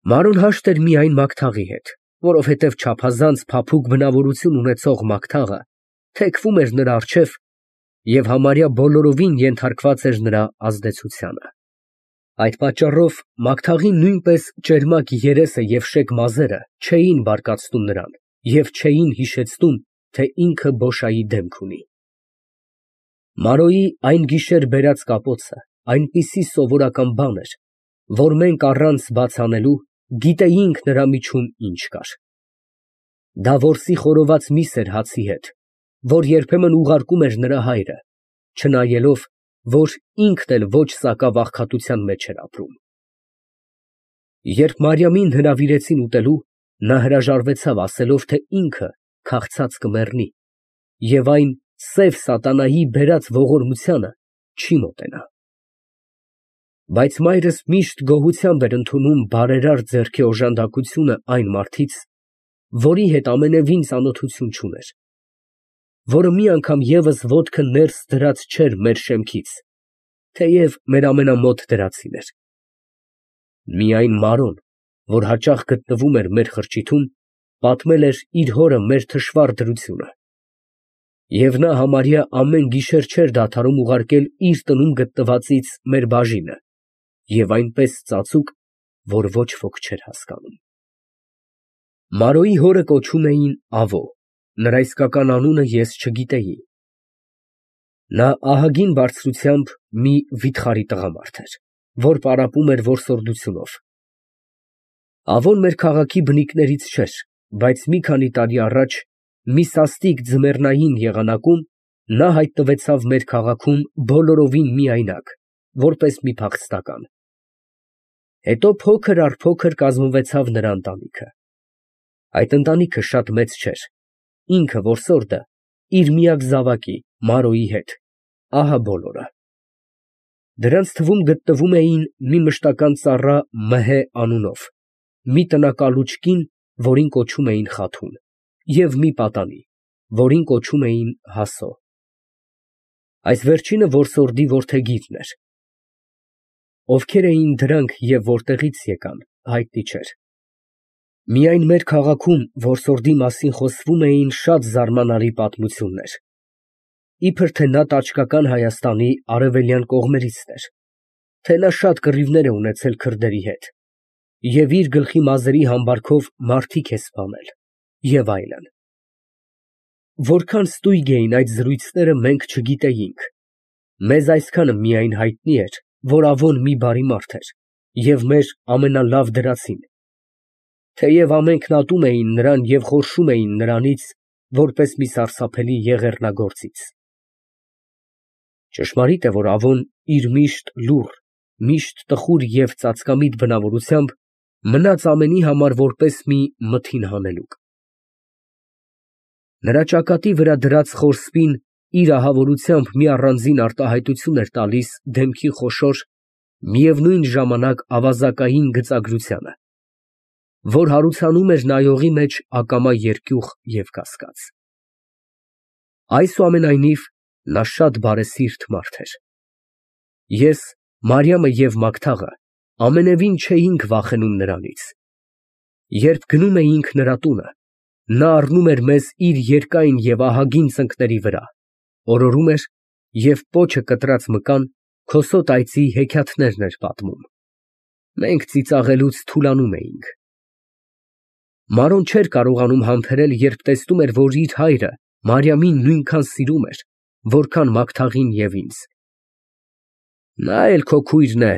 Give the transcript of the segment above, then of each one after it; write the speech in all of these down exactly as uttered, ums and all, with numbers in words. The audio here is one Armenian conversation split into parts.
Մանրոն հաշտ էր միայն Մագթաղի հետ, որովհետև չափազանց փափուկ բնավորություն ունեցող Մագթաղը թեքվում էր նրա առջև և համարյա բոլորովին ենթարկված էր նրա ազդեցությանը։ Այդ պատճառով Մագթաղի նույնպես ճերմակ երեսը և շեկ մազերը չէին բարկացնում նրան և չէին հիշեցնում, թե ինքը բոշայի դեմք ունի։ Մարոյի այն գիշեր բերած կապոցը այնպիսի սովորական բան էր, որ մենք առանց բաց անելու գիտեինք նրա միջում ինչ կար։ Դա որսի խորոված միս էր հացի հետ, որ երբեմն ուղարկում էր նրա հայրը, չնայելով, որ ինքն էլ ոչ սակավ աղքատության մեջ էր ապրում։ Երբ Մարիամին հրավիրեցին ուտելու, նա հրաժարվեցավ, ասելով, թե ինքը քաղցած կմեռնի և այն սև սատանայի բերած ողորմությանը չի մոտենա։ Բայց մայրս միշտ գոհությամբ էր ընդունում բարերար ձեռքի օժանդակությունը այն մարդից, որի հետ ամենևին ծանոթություն չուներ, որը մի անգամ ևս ոտքը ներս դրած չէր մեր շեմքից, թեև մեր ամենամոտ դրածին էր։ Միայն Մարոն, որ հաճախ գտնվում էր մեր խրճիթում, պատմել էր իր հորը մեր թշվառ դրությունը, և նա համարյա ամեն գիշեր չէր դադարում ուղարկել իր տնում գտնվածից մեր բաժինը և այնպես ծածուկ, որ ոչ ոք չէր հասկանում։ Մարոյի հորը կոչում էին Ավո, նրա իսկական անունը ես չգիտեի։ Նա ահագին բարձրությամբ մի վիթխարի տղամարդ էր, որ պարապում էր որսորդությունով։ Ավոն մեր քաղաքի բնիկներից չէր, բայց մի քանի տարի առաջ մի սաստիկ ձմեռնային եղանակում նա հայտնվեցավ մեր քաղաքում բոլորովին միայնակ, որպես մի փախստական։ Հետո փոքր առ փոքր կազմվեցավ նրա ընտանիքը։ Այդ ընտանիքը շատ մեծ չէր, ինքը որսորդը իր միակ զավակի Մարոյի հետ, ահա բոլորը։ Դրանց թվում գտնվում էին մի մշտական ծառա Մհե անունով, մի տնակալուչ կին, որին կոչում էին Խաթուն, և մի պատանի, որին կոչում էին Հասո։ Այս վերջինը որսորդի որդեգիրն էր։ Ովքեր էին դրանք և որտեղից եկան, հայտնի չէր։ Միայն մեր քաղաքում որսորդի մասին խոսվում էին շատ զարմանալի պատմություններ, իբր թե նա տաճկական Հայաստանի արևելյան կողմերիցն էր, թե նա շատ կռիվներ է ունեցել քրդերի հետ և իր գլխի մազերի համբարքով մարդիկ է սպանել և այլն։ Որքան ստույգ էին այդ զրույցները, մենք չգիտեինք, մեզ այսքանը միայն հայտնի էր, որ Ավոն մի բարի մարդ էր և մեր ամենալավ դրածին, թեև ամենքն ատում էին նրան և խորշում էին նրանից, որպես մի սարսափելի եղեռնագործից։ Ճշմարիտ է, որ Ավոն իր միշտ լուռ, միշտ տխուր և ծածկամիտ բնավորությամբ մնաց ամենի համար որպես մի մթին հանելուկ։ Նրա ճակատի վրա դրած խոր սպին իր ահավորությամբ մի առանձին արտահայտություն էր տալիս դեմքի խոշոր, միևնույն ժամանակ ավազակային գծագրությանը, որ հարուցանում էր նայողի մեջ ակամա երկյուղ և կասկած։ Այսուամենայնիվ, նա շատ բարեսիրտ մարդ էր։ Ես, Մարիամը և Մագթաղը ամենևին չէինք վախենում նրանից։ Երբ գնում էինք նրա տունը, նա առնում էր մեզ իր երկայն և ահագին ծնկների վրա, օրորում էր և պոչը կտրած մկան քոսոտ այծի հեքիաթներն էր պատմում։ Մենք ծիծաղելուց թուլանում էինք։ Մարոն չէր կարողանում համբերել, երբ տեսնում էր, որ իր հայրը Մարիամին նույնքան սիրում էր, որքան Մագթաղին և ինձ։ Նա էլ քո քույրն է,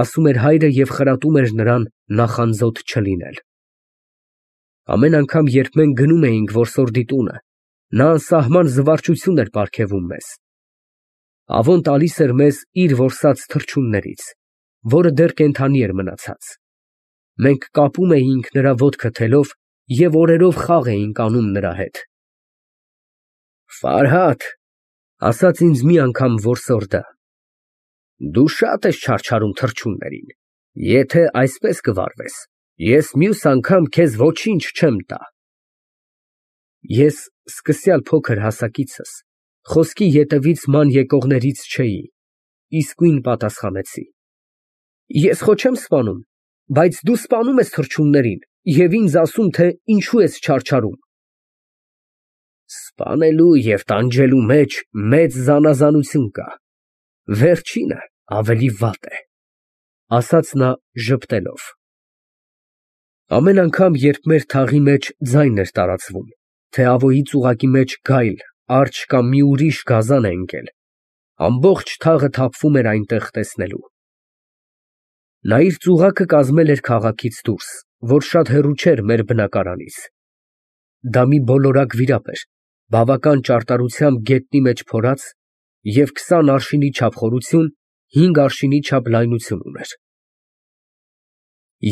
ասում էր հայրը և խրատում էր նրան նախանձոտ չլինել։ Ամեն անգամ, երբ մենք գնում էինք որսորդի տունը, նա անսահման զվարճություն էր պարգևում մեզ։ Ավոն տալիս էր մեզ իր որսած թռչուններից, որը դեռ կենդանի էր մնացած։ Մենք կապում էինք նրա ոտքը թելով և օրերով խաղ էինք անում նրա հետ։ «Ֆարհադ, ֊ ասաց ինձ մի անգամ որսորդը, ֊ դու շատ ես չարչարում թռչուններին, եթե այսպես կվարվես, ես մյուս անգամ քեզ ոչինչ չեմ տա»։ Ես սկսյալ փոքր հասակիցս խոսքի ետևից ման եկողներից չէի, իսկույն պատասխանեցի. Ես խո չեմ սպանում, բայց դու սպանում ես թռչուններին և ինձ ասում, թե ինչու ես չարչարում։ Սպանելու և տանջելու մեջ մեծ զանազանություն կա, վերջինը ավելի վատ է, ասաց նա ժպտելով։ Ամեն անգամ, երբ մեր թաղի մեջ ձայն էր տարածվում, թե Ավոյի ծուղակի մեջ գայլ, արջ կամ մի ուրիշ գազան է ընկել, ամբողջ թաղը թափվում էր այնտեղ տեսնելու։ Նա իր ծուղակը կազմել էր քաղաքից դուրս, որ շատ հեռու չէր մեր բնակարանից։ Դա մի բոլորակ վիրապ էր, բավական ճարտարությամբ գետնի մեջ փորած և քսան արշինի չափ խորություն, հինգ արշինի չափ լայնություն ուներ։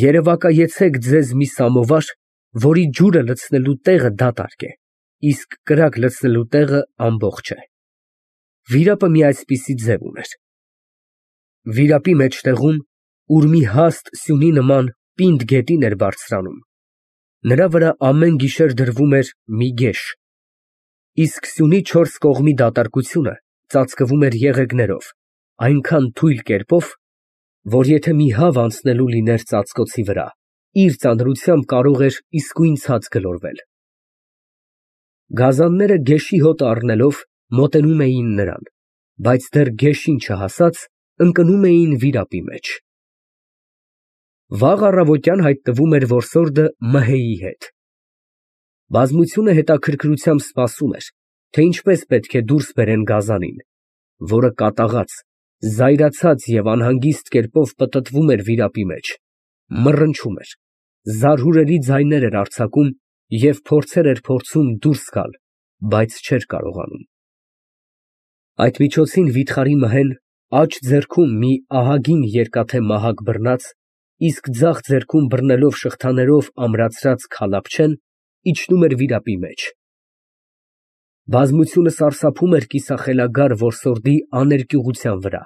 Երևակայեցեք ձեզ մի սամովար, որի ջուրը լցնելու տեղը դատարկ է, իսկ կրակ լցնելու տեղը ամբողջ է։ Վիրապը մի այսպիսի ձև ուներ։ Վիրապի մեջտեղում, ուր մի հաստ սյունի նման պինդ գետին էր բարձրանում, նրա վրա ամեն գիշեր դրվում էր մի գեշ, իսկ սյունի չորս կողմի դատարկությունը ծածկվում էր եղեգներով, այնքան թույլ կերպով, որ եթե մի հավ անցնելու լիներ ծածկոցի վրա, իր ծանրությամբ կարող էր իսկույն ցած գլորվել։ Գազանները գեշի հոտը առնելով մոտենում էին նրան, բայց դեռ գեշին չհասած, ընկնում էին վիրապի մեջ։ Վաղ առավոտյան հայտնվում էր որսորդը Մհեյի հետ։ Բազմությունը հետաքրքրությամբ սպասում էր, թե ինչպես պետք է դուրս բերեն գազանին, որը կատաղած, զայրացած և անհանգիստ կերպով պտտվում էր վիրապի մեջ, մռնչում էր, զարհուրելի ձայներ էր արձակում և փորձեր էր փորձում դուրս գալ, բայց չէր կարողանում։ Այդ միջոցին վիթխարի Մհեն աջ ձեռքում մի ահագին երկաթե մահակ բռնած, իսկ ձախ ձեռքում բռնելով շղթաներով ամրացրած քալափչեն, իջնում էր վիրապի մեջ։ Բազմությունը սարսափում էր կիսախելագար որսորդի աներկյուղության վրա։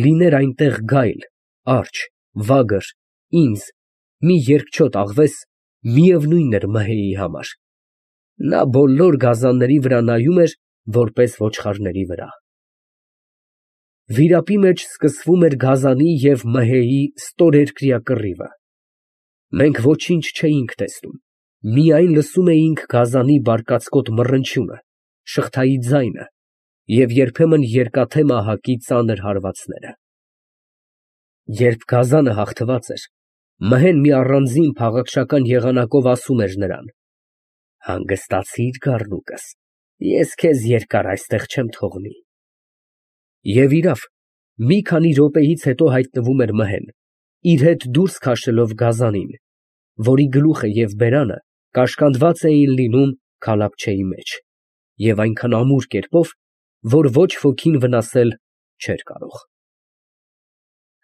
Լիներ այնտեղ գայլ, արջ, վագր, ինձ, մի երկչոտ աղվես, միևնույն էր Մհեյի համար։ Նա բոլոր գազանների վրա նայում էր, որպես ոչխարների վրա։ Վիրապի մեջ սկսվում էր գազանի և Մհեյի ստորերկրյա կռիվը։ Մենք ոչինչ չէինք տեսնում, միայն լսում էինք գազանի բարկացկոտ մռնչյունը, շղթայի ձայնը և երբեմն երկաթե մահակի ծանր հարվածները։ Երբ գազանը հաղթված էր, Մհեն մի առանձին փաղաքշական եղանակով ասում էր նրան. «Հանգստացի՞ր, գառնուկս, ես քեզ երկար այստեղ չեմ թողնի»։ Եվ իրավ, մի քանի րոպեից հետո հայտնվում էր Մհեն, իր հետ դուրս քաշելով գազանին, որի գլուխը և բերանը կաշկանդված էին լինում քալափչեի մեջ, և այնքան ամուր կերպով, որ ոչ ոքին վնասել չէր կարող։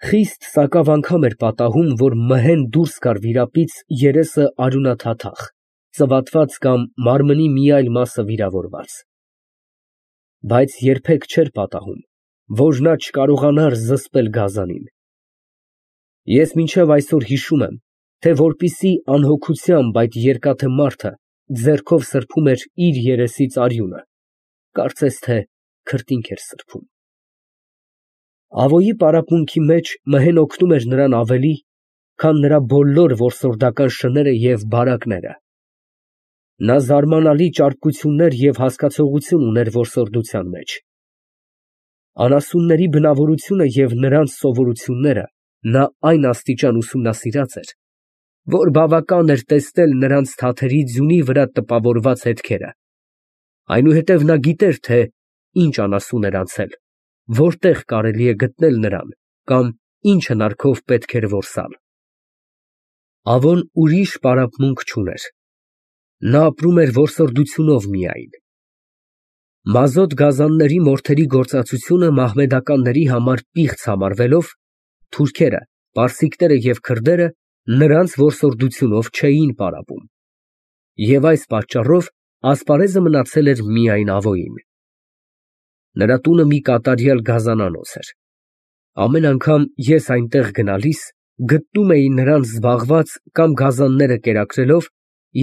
Խիստ սակավ անգամ էր պատահում, որ Մհեն դուրս գար վիրապից երեսը արյունաթաթախ, ծվատված կամ մարմնի մի այլ մասը վիրավորված։ Բայց երբեք չէր պատահում, որ նա չկարողանար զսպել գազանին։ Ես մինչև այսօր հիշում եմ, թե որպիսի անհոգությամբ այդ երկաթե մարդը ձեռքով սրբում էր իր երեսից արյունը, կարծես թե քրտինք էր սրբում։ Ավոյի պարապմունքի մեջ Մհեն օգնում էր նրան ավելի, քան նրա բոլոր որսորդական շները և բարակները։ Նա զարմանալի ճարպկություններ և հասկացողություն ուներ որսորդության մեջ։ Անասունների բնավորությունը և նրանց սովորությունները նա այն աստիճան ուսումնասիրած էր, որ բավական էր տեսնել նրանց թաթերի ձյունի վրա տպավորված հետքերը, այնուհետև նա գիտեր, թե ինչ անասուն էր անցել, որտեղ կարելի է գտնել նրան կամ ինչ հնարքով պետք էր որսալ։ Ավոն ուրիշ պարապմունք չուներ, նա ապրում էր որսորդությունով միայն։ Մազոտ գազանների մորթերի գործածությունը մահմեդականների համար պիղծ համարվելով, թուրքերը, պարսիկները և քրդերը նրանց որսորդությունով չէին պարապում, և այս պատճառով ասպարեզը մնացել էր միայն Ավոյին։ Նրա տունը մի կատարյալ գազանանոց էր։ Ամեն անգամ ես այնտեղ գնալիս, գտնում էի նրան զբաղված կամ գազանները կերակրելով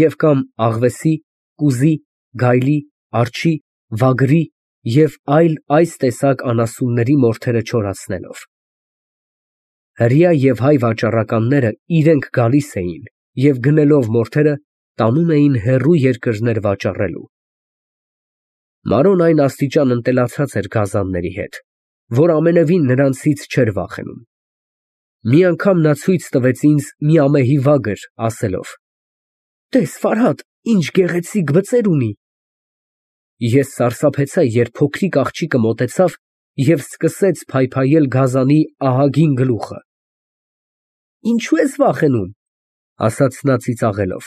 և կամ աղվեսի, կուզի, գայլի, արջի, վագրի և այլ այս տեսակ անասունների մորթերը չորացնելով։ Հրեա և հայ վաճառականները իրենք գալիս էին և գնելով մորթերը տանում էին հեռու երկրներ վաճառելու։ Մարոն այն աստիճան ընտելացած էր գազանների հետ, որ ամենևին նրանցից չէր վախենում։ Մի անգամ նա ցույց տվեց ինձ մի ամեհի վագր, ասելով. «Տես, Ֆարհադ, ինչ գեղեցիկ բծեր ունի»։ Ես սարսափեցա, երբ փոքրիկ աղջիկը մոտեցավ և սկսեց փայփայել գազանի ահագին գլուխը։ «Ինչո՞ւ ես վախենում», ֊ ասաց նա ծիծաղելով,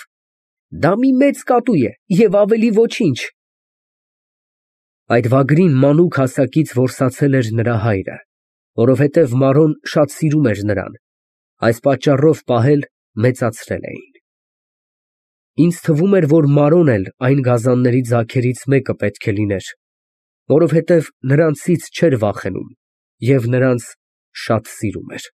«դա մի մեծ կատու է և ավելի ոչինչ»։ Այդ վագրին մանուկ հասակից որսացել էր նրա հայրը, որովհետև Մարոն շատ սիրում էր նրան, այս պատճառով պահել, մեծացրել էին։ Ինձ թվում էր, որ Մարոն էլ այն գազանների ձագերից մեկը պետք է լիներ, որովհետև նրանցից չէր վախենում և նրանց շատ սիրում էր։